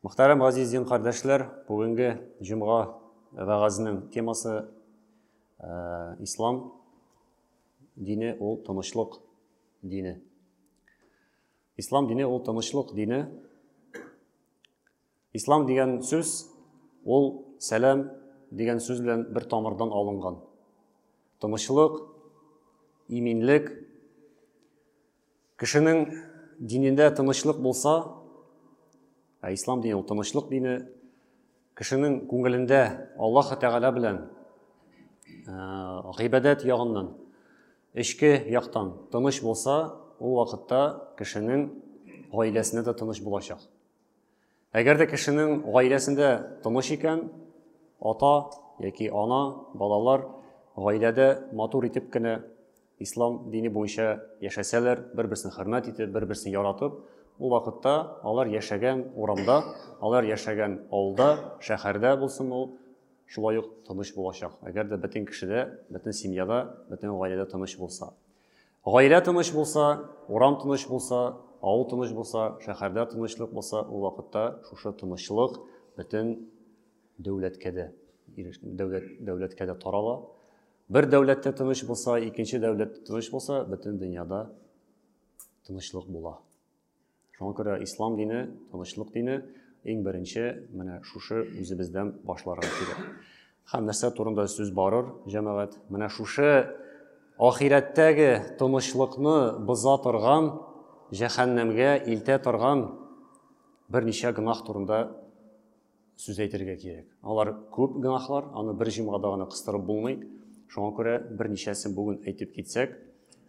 Мөхтәрәм газиз дин кардәшләр, бүгенге җомга вәгазенең темасы ислам дине ул тынычлык дине. Ислам дине ул тынычлык дине. Ислам дигән сүз ул сәлам дигән сүз белән бер тамырдан алынган. Тынычлык, иминлек. Кешенең динендә тынычлык булса, ә ислам дине ул тынычлык дине, кешенең күңелендә Аллаһ Тәгалә белән гыйбадәт ягыннан, эчке яктан тыныч булса, ул вакытта кешенең гаиләсендә дә тыныч булачак. Әгәр дә кешенең гаиләсендә тыныч икән, ата яки ана, балалар гаиләдә матур итеп кенә ислам дине буенча яшәсәләр, бер-берсен хөрмәт итеп, бер-берсен яратып, ул вакытта алар яшәгән урамда, алар яшәгән авылда, шәһәрдә булсын ул, шулай ук тыныч булачак. Әгәр дә бөтен кешедә, бөтен семьяда, бөтен гаиләдә тыныч булса. Гаилә тыныч булса, урам тыныч булса, авыл тыныч булса, шәһәрдә тынычлык булса, ул вакытта шушы тынычлык бөтен дәүләткә дә дәүләт дәүләткә дә тарала. Бер дәүләттә тыныч булса, икенче дәүләттә тыныч булса, бөтен дөньяда тынычлык була. Шуңа күрә ислам дине, тынычлык дине иң беренче менә шушы үзебездән башларга кирәк. Һәм нәрсә турында сүз барыр, җәмәгать? Менә шушы ахирәттәге тынычлыкны боза торган, җәһәннәмгә илтә торган берничә гөнаһ турында сүз әйтергә кирәк. Алар күп гөнаһлар, аны бер җомгада гына кыстырып булмый. Шуңа күрә берничәсен бүген әйтеп китсәк,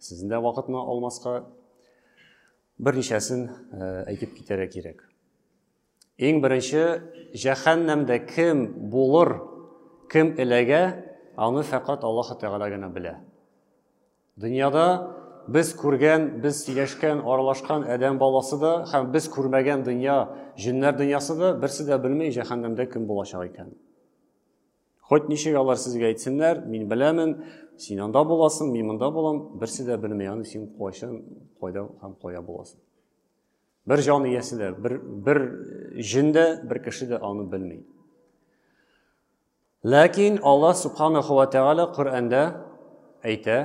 сезнең дә вакытны алмаска, берничәсен әйтеп китәргә кирәк. Иң беренче, җәһәннәмдә кем булыр, кем эләгә, аны фәкать Аллаһ Тәгалә генә белә. Дөньяда без күргән, без сөйләшкән, аралашкан адәм баласы да һәм без күрмәгән дөнья, җеннәр дөньясы да берсе дә белми җәһәннәмдә кем булачак икән. Хоть ничек алар сезгә әйтсеннәр, мин беләмен, син анда буласың, мин монда булам, берсе дә белми аны син кайчан, кайда һәм кая буласың. Бер җан иясе дә, бер, бер җен дә, бер кеше дә аны белми. Ләкин Аллаһ субханаху ва тәгалә Коръәндә әйтә,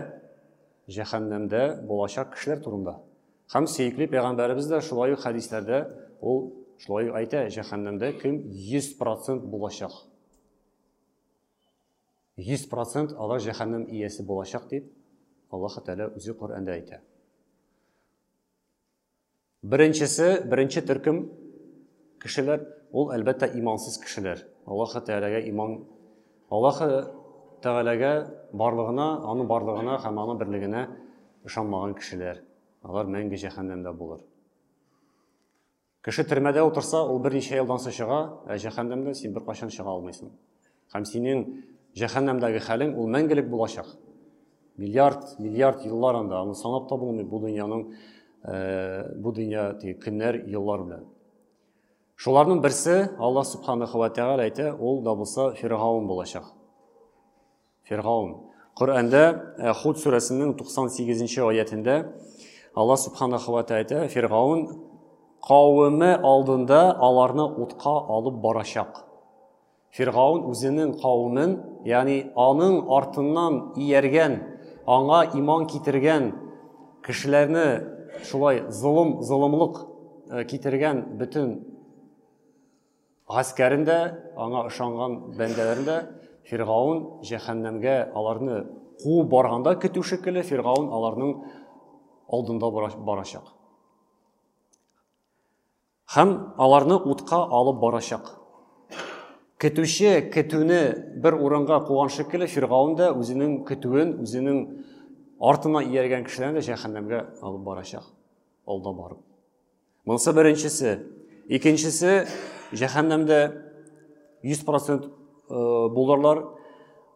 җәһәннәмдә булачак кешеләр турында. Һәм сөекле пәйгамбәребез дә шулай ук хәдисләрдә ул шулай ук әйтә, җәһәннәмдә кем 100% булачак. 100% алар җәһәннәм иясе булачак дип Аллаһ Тәгалә үзе Коръәндә әйтә. Беренчесе, беренче төркем кешеләр, ул әлбәттә имансыз кешеләр. Аллаһ Тәгаләгә иман, Аллаһ Тәгаләгә барлыгына, аның барлыгына һәм аның берлегенә ышанмаган кешеләр. Алар мәңге җәһәннәмдә булыр. Кеше төрмәдә утырса, ул берничә елдан соң чыга, ә җәһәннәмдән син беркайчан чыга алмыйсың. Һәм синең җәһәннәмдәге хәлең ул мәңгелек булачак. Миллиард, миллиард еллар анда, аны санап та булмый бу дөньяның, бу дөнья теге көннәр, еллар белән. Шуларның берсе Аллаһ субханаху ва тәгалә әйтә, ул да булса Фиргаун булачак. Фиргаун. Коръәндә Худ сүрәсенең 98 нче аятендә Аллаһ субханаху ва тәгалә әйтә, Фиргаун кавеме алдында аларны утка алып барачак. Фиргаун үзенең кавемен, ягъни аның артыннан ияргән, аңа иман китергән кешеләрне шулай золым, золымлык китергән бөтен Гаскәрен дә, аңа ышанган бәндәләрен дә Фиргаун җәһәннәмгә аларны куып барганда көтү шикелле Фиргаун аларның алдында барачак. Һәм аларны утка алып барачак. Көтүче көтүне бер урынга куган шикелле Фиргаун да үзенең көтүен, үзенең артына ияргән кешеләрне дә җәһәннәмгә алып барачак. Алда барып. Монысы беренчесе. Икенчесе, җәһәннәмдә 100% булырлар.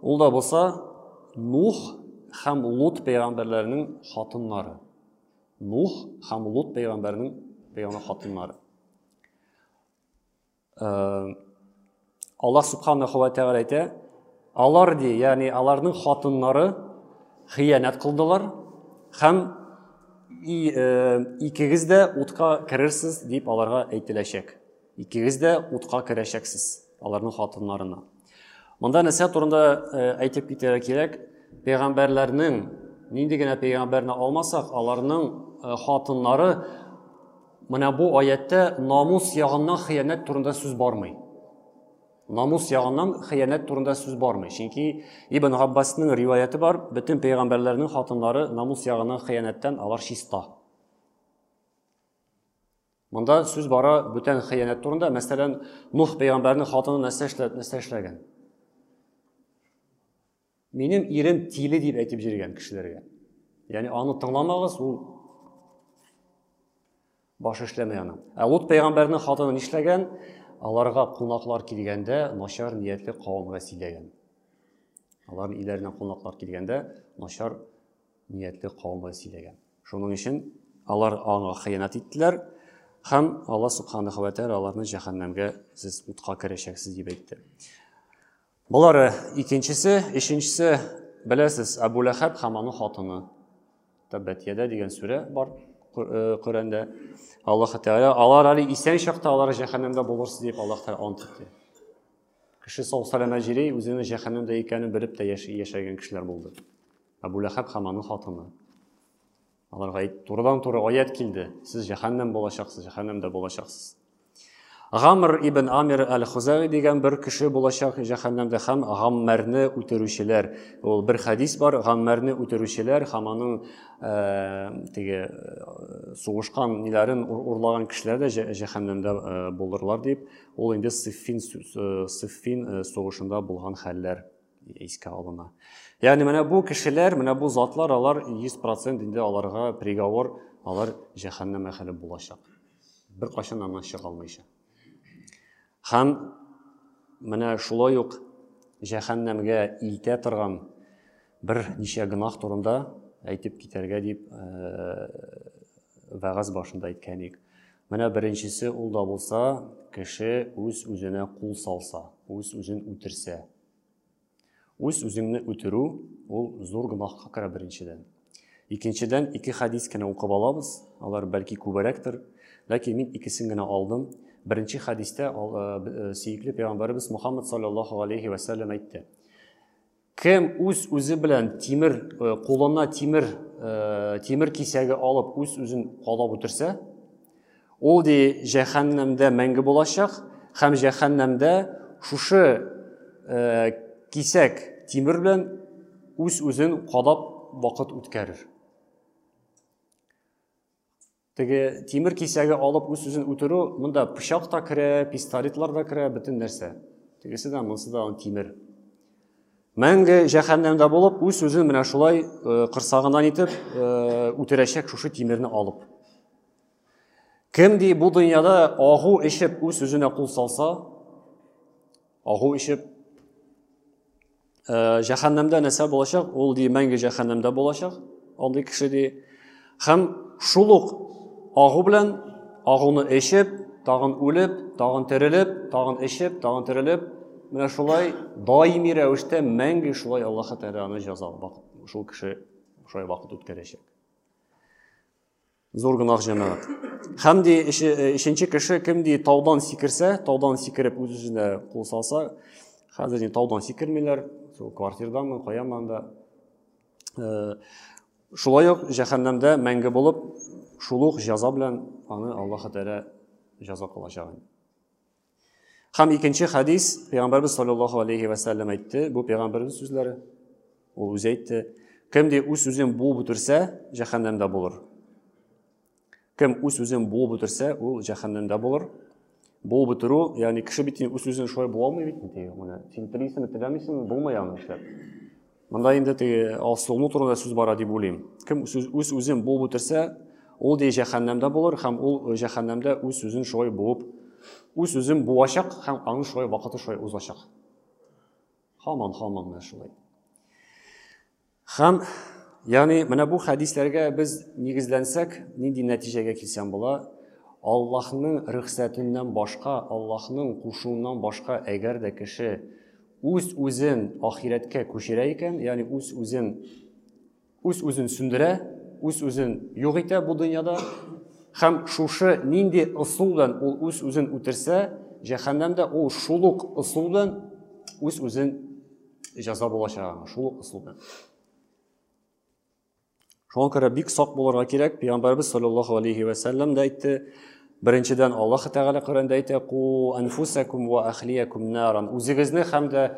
Ул да булса Нух һәм Лут пәйгамбәрләренең хатыннары. Нух һәм Лут пәйгамбәрнең пәйгамбәр хатыннары. Аллаһ субханаху ва тәгалә әйтә, алар ди, ягъни аларның хатыннары хыянәт кылдылар һәм икегез дә утка керерсез дип аларга әйтеләчәк. Икегез дә утка керәчәксез, аларның хатыннарына. Монда нәрсә турында әйтеп китәргә кирәк? Пәйгамбәрләрнең нинди генә пәйгамбәрне алмасак, аларның хатыннары менә бу аятьтә намус ягыннан хыянәт турында сүз бармый. Намус ягыннан хыянәт турында сүз бармый. Чөнки Ибн Габбасның риваяте бар, бөтен пәйгамбәрләрнең хатыннары намус ягыннан хыянәттән алар чиста. Монда сүз бара бүтән хыянәт турында. Мәсәлән, Нух пәйгамбәрнең хатыны нәрсә эшләп, нәрсә эшләгән? Минем ирем тиле дип әйтеп җиргән кешеләргә. Ягъни аны тыңламагыз, ул баш эшләмәй аның. Ә Лут пәйгамбәрнең хатыны нишләгән? Аларга кунаклар килгәндә начар ниятле кавымга сөйләгән. Аларның өйләренә кунаклар килгәндә начар ниятле кавымга сөйләгән. Шуның өчен алар аңа хыянәт иттеләр һәм Алла субханаһу ва тааля аларны җәһәннәмгә сез утка керәчәксез дип әйтте. Болары икенчесе, өченчесе беләсез, Әбу Ләхәб һәм аның хатыны. Тәббәт яда дигән сүрә бар Коръәндә. Аллаһ Тәгалә алар әле исән чакта алар җәһәннәмдә булырсыз дип Аллаһ Тәгалә ант итте. Кеше сау сәламәт җири, үзенең җәһәннәмдә икәнен белеп тә яшәгән кешеләр булды. Әбу Ләхәб һәм аның хатыны. Аларга турыдан-туры аят килде. Сез җәһәннәм булачаксыз, җәһәннәмдә булачаксыз. Гамр ибн Амир әл-Хузаи дигән бер кеше булачак җәһәннәмдә һәм Гаммәрне үтерүчеләр. Ул бер хәдис бар, Гаммәрне үтерүчеләр һәм аның теге сугышкан ниләрен урлаган кешеләр дә җәһәннәмдә булырлар дип, ул инде Сиффин Сиффин сугышында булган хәлләр искә алына. Ягъни менә бу кешеләр, менә бу затлар, алар 100% инде аларга приговор, алар җәһәннәм әһеле булачак. Бер кайчан аннан чыга алмыйча. Һәм менә шулай ук җәһәннәмгә илтә торган бер ничә гөнаһ турында әйтеп китәргә дип вәгазь башында әйткән идек. Менә беренчесе ул да булса, кеше үз-үзенә кул салса, үз-үзен үтерсә. Үз-үзеңне үтерү ул зур гөнаһка керә беренчедән. Икенчедән, ике хәдис кенә укып алабыз, алар бәлки күбрәктер, ләкин мин икесен генә алдым. Беренче хәдистә сөекле пәйгамбәребез Мухаммад саллаллаһу алейхи ва сәлләм әйтте. Кем үз-үзе белән тимер, кулына тимер, тимер кисәге алып үз-үзен кадап үтерсә, ул ди җәһәннәмдә мәңге булачак һәм җәһәннәмдә шушы кисәк тимер белән үз-үзен кадап вакыт үткәрер. Теге тимер кисәге алып үз-үзен үтерү, монда пычак та керә, пистолетлар да керә, бөтен нәрсә. Тегесе дә, монысы да тимер. Мәңге җәһәннәмдә булып, үз-үзен менә шулай корсагыннан итеп үтерәчәк шушы тимерне алып. Кем ди бу дөньяда агу эчеп үз-үзенә кул салса, агу эчеп җәһәннәмдә нәрсә булачак? Ул ди мәңге җәһәннәмдә булачак. Андый кеше ди. Һәм шул ук агу белән агуны эчеп, тагын үлеп, тагын терелеп, тагын эчеп, тагын терелеп, менә шулай даими рәвештә мәңге шулай Аллаһ Тәгалә аны җәза шул кеше шулай вакыт үткәрәчәк. Зур гөнаһ җәмәгать. Һәм ди өченче кеше кем ди таудан сикерсә, таудан сикереп үз-үзенә кул салса, хәзер инде таудан сикермиләр, шул квартирданмы, каянмы анда. Шулай ук җәһәннәмдә мәңге булып, шул ук җәза белән аны Аллаһ Тәгалә җәза кылачак. Һәм икенче хәдис Пәйгамбәрбез саллаллаһу алейхи ва сәлләм әйтте, бу пәйгамбәрбез сүзләре. Ул үзе әйтте, кем ди үз үзен буып үтерсә, җәһәннәмдә булыр. Кем үз үзен буып үтерсә, ул җәһәннәмдә булыр. Буып үтерү, ягъни кеше бит үз үзен шулай буа алмый бит инде. Менә син телисеңме, теләмисеңме, булмый аны эшләп. Монда инде теге алсулыну турында сүз бара дип уйлыйм. Кем үз үзен буып үтерсә, ул ди җәһәннәмдә булыр һәм ул җәһәннәмдә үз үзен шулай буып, үз үзен буачак һәм аның шулай вакыты шулай узачак. Һаман, һаман менә шулай. Һәм ягъни менә бу хәдисләргә без нигезләнсәк, нинди нәтиҗәгә килсәм була? Аллаһның рөхсәтеннән башка, Аллаһның кушуыннан башка, әгәр дә кеше үз-үзен ахирәткә күчерә икән, ягъни үз-үзен үз-үзен сүндерә, үз-үзен юк итә бу дөньяда, Һәм шушы нинди ысул белән ул үз-үзен үтерсә, җәһәннәмдә ул шул ук ысул белән үз-үзен җәза булачак аңа, шул ук ысул белән. Шуңа күрә бик сак булырга кирәк. Пәйгамбәрбез саллаллаһу алейхи ва сәлләм дә әйтте. Беренчедән Аллаһ Тәгалә Коръәндә әйтә: "Ку анфусакум ва ахлиякум наран." Үзегезне һәм дә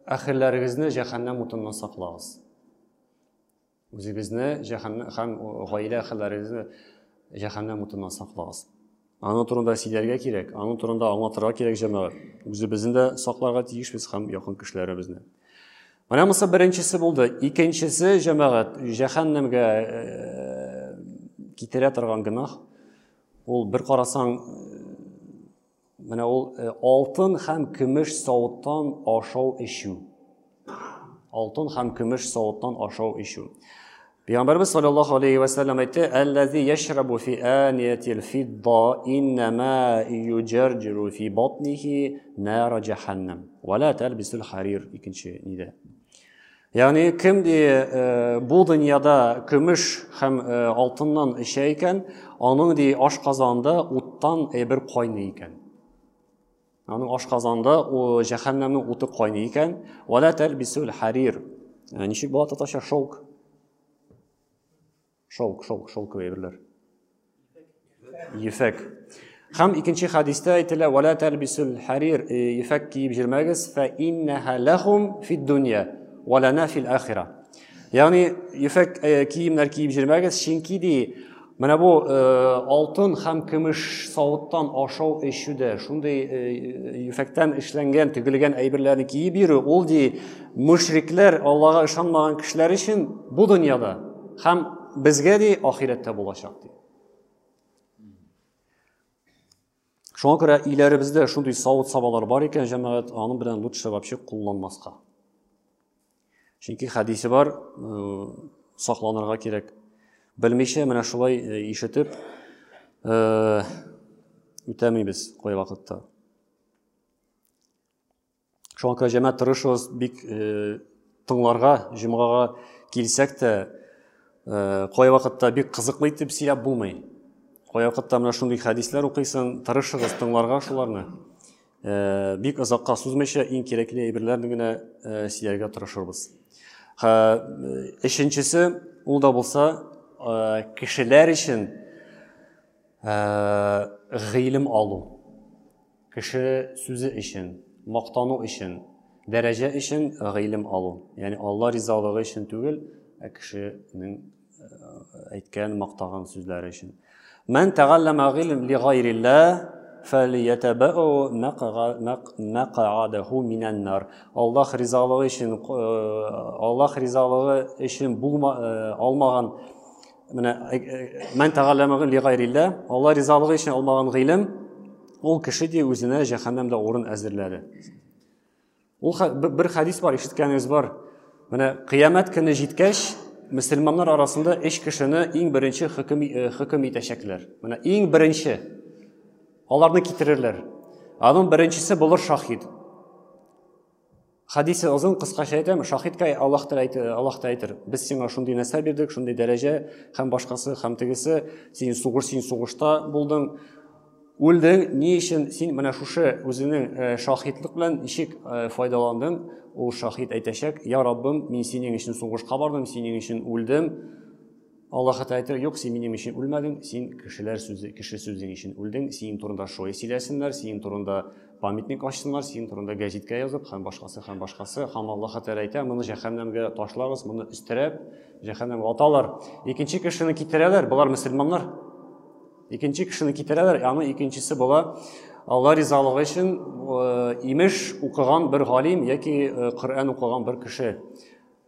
әхилләрегезне җәһәннәм утыннан саклагыз. Үзегезне җәһәннәм һәм гаилә әһелләрегезне җәһәннәм утыннан саклагыз. Аның турында сөйләргә кирәк, аның турында аңлатырга кирәк җәмәгать. Үзебезне дә сакларга тиешбез һәм якын кешеләребезне. Менә монысы беренчесе булды. Икенчесе җәмәгать җәһәннәмгә э, китерә торган гөнаһ. Ул бер карасаң Менә ул э, алтын һәм көмеш савыттан ашау эчү. Алтын һәм көмеш савыттан ашау эчү. Пәйгамбәрбез саллаллаһу алейхи ва саллям әйтте: "Аллази яшрабу фи аниятил фидда иннама юjarjiru фи батнихи нара җәһәннәм. Ва ла талбисул харир" икенче нидә. Ягъни кем ди э, бу дөньяда көмеш һәм э, алтыннан эчә икән, аның ди ашказанында уттан әйбер кайный икән. Аның ашказанында җәһәннәмнең уты кайный икән. Вала тәлбисул харир. Э, ничек була татарча шелк? Шелк, шелк, шелковый әйберләр. Ефәк. Һәм икенче хәдистә әйтелә, «Вәлә тәлбисул харир», э, ефәк киеп җөрмәгез, фә иннәһә ләхум фид дөнья, вә ләнә фил ахира. Ягъни ефәк э, киемнәр киеп җөрмәгез, чөнки ди, менә бу э, алтын һәм көмеш савыттан ашау эчүдә шундый ефәктән эшләнгән, тегелгән әйберләрне киеп йөрү, ул ди мөшрикләр, Аллага ышанмаган кешеләр өчен бу дөньяда һәм безгә ди ахирәттә булачак ди. Шуңа күрә өйләребездә шундый савыт-сабалар бар икән, җәмәгать, аның белән лучше вообще кулланмаска. Чөнки хәдисе бар, э, сакланырга кирәк. Белмичә менә шулай э, ишетеп э, үтәмибез кайвакытта. Шуңа күрә җәмәгать тырышыгыз бик э, тыңларга, җомгага килсәк тә, э, кайвакытта бик кызыклы итеп сөйләп булмый. Кайвакытта менә шундый хәдисләр укыйсың, тырышыгыз тыңларга шуларны. Э, бик озакка сузмыйча иң кирәкле әйберләрне генә э, сөйләргә тырышырбыз. Өченчесе, ул да булса, э, кешеләр өчен э, гыйлем алу. Кеше сүзе өчен, мактану өчен, дәрәҗә өчен гыйлем алу. Ягъни Алла ризалыгы өчен түгел, ә кешенең әйткән, мактаган сүзләре өчен. Мән тәгалләмә гыйлем ли гайрилла фәлиятәбәу мәкъадәһу минән нар. Аллаһ ризалыгы өчен, Аллаһ ризалыгы өчен булма, алмаган менә мән тәгалләмә ли гайрилла, Алла ризалыгы өчен алмаган гыйлем Ул кеше ди үзенә җәһәннәмдә урын әзерләде. Ул бер хәдис бар, ишеткәнегез бар. Менә кыямәт көне җиткәч, мөселманнар арасында өч кешене иң беренче хөкем, э, хөкем итәчәкләр. Менә иң беренче аларны китерерләр. Аның беренчесе булыр шахид. Хәдисе озын, кыскача әйтәм, шахидка Аллаһ Тәгалә әйтер, Аллаһ та әйтер, без сиңа шундый нәрсә бирдек, шундый дәрәҗә һәм башкасы һәм тегесе, син сугыш, син сугышта булдың, үлдең, ни өчен син менә шушы үзеңнең э, шахидлык белән ничек э, файдаландың? Ул шахид әйтәчәк, я Раббым, мин синең өчен сугышка бардым, синең өчен үлдем. Аллаһ Тәгалә әйтер, юк, син минем өчен үлмәдең, син кешеләр сүзе, кеше сүзең өчен үлдең, синең турында шулай сөйләсеннәр, синең турында памятник ачсыннар, синең турында гәзиткә язып һәм башкасы һәм башкасы. Һәм Аллаһ Тәгалә әйтә, моны җәһәннәмгә ташлагыз, моны өстерәп җәһәннәмгә аталар. Икенче кешене китерәләр, болар мөселманнар. Икенче кешене китерәләр, аны икенчесе була Алла ризалыгы өчен э, имеш укыган бер галим яки э, Коръән укыган бер кеше.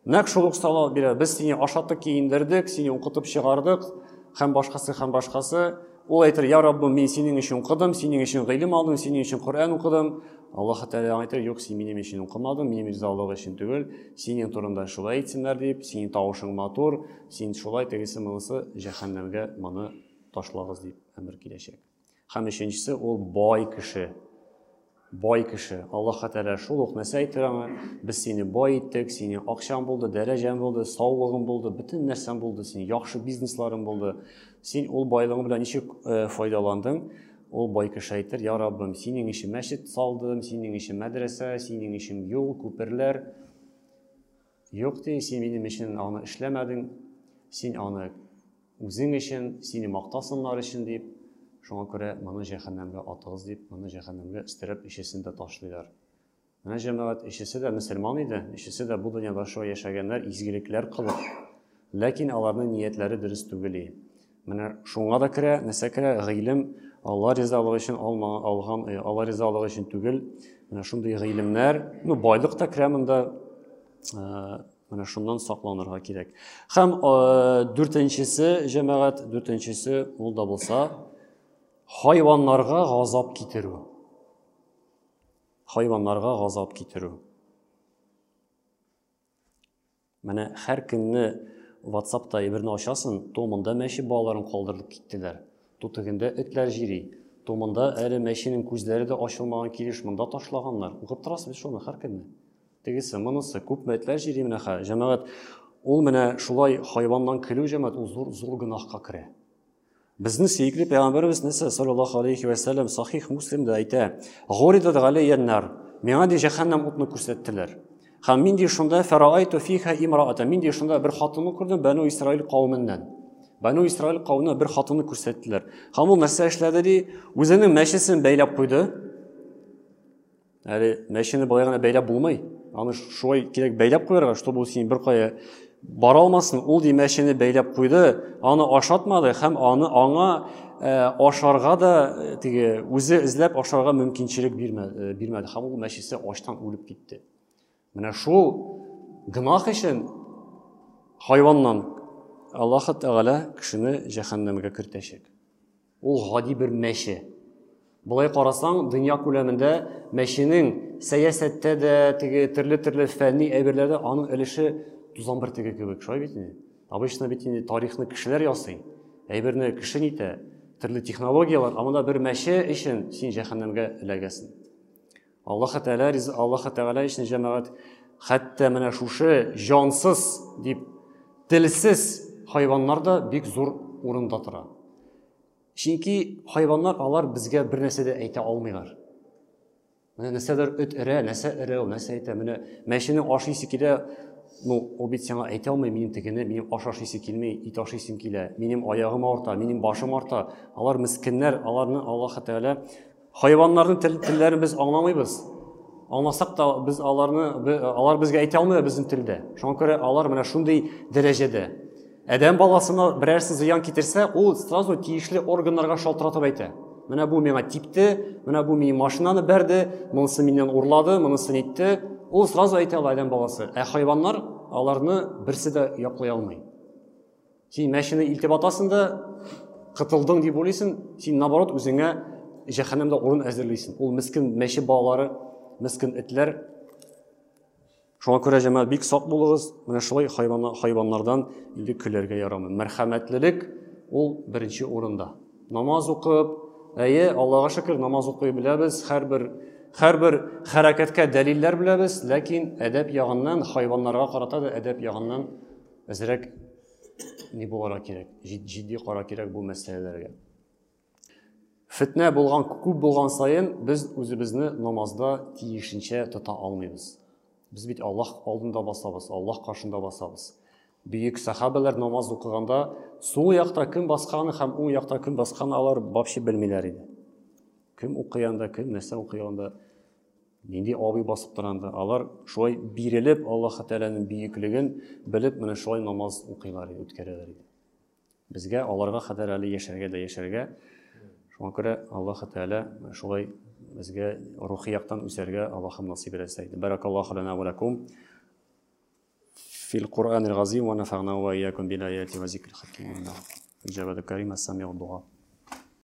Нәкъ шул ук сорау бирә. Без сине ашаттык, киендердек, сине укытып чыгардык һәм башкасы һәм башкасы. Ул әйтер, я Раббым, мин синең өчен укыдым, синең өчен гыйлем алдым, синең өчен Коръән укыдым. Аллаһ Тәгалә әйтер, юк, син минем өчен укымадың, минем ризалык өчен түгел, синең турында шулай әйтсеннәр дип, синең тавышың матур, син шулай тегесе монысы җәһәннәмгә моны ташлагыз дип әмер киләчәк. Һәм өченчесе ул бай кеше. Бай кеше, Аллаһ Тәгалә шул ук нәрсә әйтер аңа, без сине бай иттек, синең акчаң булды, дәрәҗәң булды, саулыгың булды, бөтен нәрсәң булды, синең яхшы бизнесларың булды. Син ул байлыгың белән ничек э, файдаландың? Ул бай кеше әйтер, я Раббым, синең өчен мәчет салдым, синең өчен мәдрәсә, синең өчен юл, күперләр. Юк, ди, син минем өчен аны эшләмәдең, син аны үзең өчен, сине мактасыннар өчен дип, шуңа күрә моны җәһәннәмгә атыгыз дип, моны җәһәннәмгә өстерәп өчесен дә ташлыйлар. Менә җәмәгать өчесе дә мөселман иде, өчесе дә бу дөньяда шулай яшәгәннәр, изгелекләр кылып. Ләкин аларның ниятләре дөрес түгел. Менә шуңа да керә, нәрсә керә? Гыйлем Алла ризалыгы өчен алма, алган, э, Алла ризалыгы өчен түгел. Менә шундый гыйлемнәр, ну байлык та керә монда. Э, менә шуннан сакланырга кирәк. Һәм э, дүртенчесе, җәмәгать, дүртенчесе ул да булса хайваннарга газап китерү. Хайваннарга газап китерү. Менә һәр көнне WhatsApp-та әйберне ачасың, то монда мәче балаларын калдырып киттеләр, то тегендә этләр җири, то монда әле мәченең күзләре дә ачылмаган килеш монда ташлаганнар. Укып торасыз бит шуны һәр көнне. Тегесе, монысы, күпме этләр җири менә хә. Җәмәгать, ул менә шулай хайваннан көлү җәмәгать, ул зур зур гөнаһка керә. Безнең сөекле пәйгамбәребез нәрсә саллаллаһу алейхи вә сәлләм сахих Муслимда әйтә: "Гуридат галәйя нар." Миңа ди җәһәннәм утны күрсәттеләр. Һәм мин ди шунда фараайту фиха имраата. Мин ди шунда бер хатынны күрдем Бану Исраил кавеменнән. Бану Исраил кавеменнән бер хатынны күрсәттеләр. Һәм ул нәрсә эшләде ди? Үзенең мәчесен бәйләп куйды. Әле мәчене болай гына бәйләп булмый. Аны шулай кирәк бәйләп куярга, чтобы ул син беркая бара алмасын. Ул ди мәчене бәйләп куйды, аны ашатмады һәм аны аңа э, ашарга да э, теге үзе эзләп ашарга мөмкинчелек бирмәде, э, бирмәде һәм ул мәчесе ачтан үлеп китте. Менә шул гөнаһ өчен хайваннан Аллаһ Тәгалә кешене җәһәннәмгә кертәчәк. Ул гади бер мәче. Болай карасаң, дөнья күләмендә мәченең сәясәттә дә, теге төрле-төрле фәнни әйберләрдә аның өлеше тузан бөртеге кебек, шулай бит инде. Обычно бит инде тарихны кешеләр ясый, әйберне кеше нитә, төрле технологияләр, ә монда бер мәче өчен син җәһәннәмгә эләгәсең. Аллаһ Тәгалә, Аллаһ Тәгалә өчен җәмәгать хәтта менә шушы җансыз дип телсез хайваннар да бик зур урында тора. Чөнки хайваннар алар безгә бер нәрсә дә әйтә алмыйлар. Менә нәрсәдер эт өрә, нәрсә өрә ул, нәрсә әйтә. Менә мәченең ашыйсы килә, ну, ул бит сиңа әйтә алмый, минем тегене, минем аш ашыйсы килми, ит ашыйсым килә, минем аягым авырта, минем башым арта. Алар мескеннәр, аларны Аллаһ Тәгалә Хайваннарның тел, телләрен без аңламыйбыз. Аңласак та без аларны алар безгә әйтә алмыйлар безнең телдә. Шуңа күрә алар менә шундый дәрәҗәдә. Адәм баласына берәрсе зыян китерсә, ул сразу тиешле органнарга шалтыратып әйтә. Менә бу миңа типте, менә бу минем машинаны бәрде, монысы миннән урлады, монысы нитте. Ул сразу әйтә ала адәм баласы. Ә хайваннар аларны берсе дә яклый алмый. Син мәчене илтеп атасың да, кытылдың дип уйлыйсың, син наоборот үзеңә җәһәннәмдә урын әзерлисең. Ул мескен мәче балалары, мескен этләр. Шуңа күрә җәмәгать бик сак булыгыз. Менә шулай хайван, хайваннардан инде көләргә ярамый. Мәрхәмәтлелек ул беренче урында. Намаз укып, әйе, Аллага шөкер, намаз укый беләбез, һәрбер һәрбер хәрәкәткә дәлилләр беләбез, ләкин әдәп ягыннан, хайваннарга карата да әдәп ягыннан әзрәк ни булырга кирәк, җитди кара кирәк бу мәсьәләләргә. Фетнә булган күп булган саен без үзебезне намазда тиешенчә тота алмыйбыз. Без бит Аллаһ алдында басабыз, Аллаһ каршында басабыз. Бөек сахабәләр намаз укыганда сул якта кем басканы һәм уң якта кем басканы алар вообще белмиләр иде. Кем укый анда, кем нәрсә укый анда. Нинди абый басып тора анда. Алар шулай бирелеп, Аллаһ Тәгаләнең бөеклеген белеп, менә шулай намаз укыйлар иде, үткәрәләр иде. Безгә аларга кадәр әле яшәргә дә яшәргә. Шуңа күрә Аллаһ Тәгалә шулай безгә рухи яктан үсәргә Аллаһым насыйп итсә иде. Баракаллаһу лана ва лакум фил Куръанил газим ва нафагна ва иякум бил аяти ва зикрил хаким. Җавад Карим, ас-самиу дуа.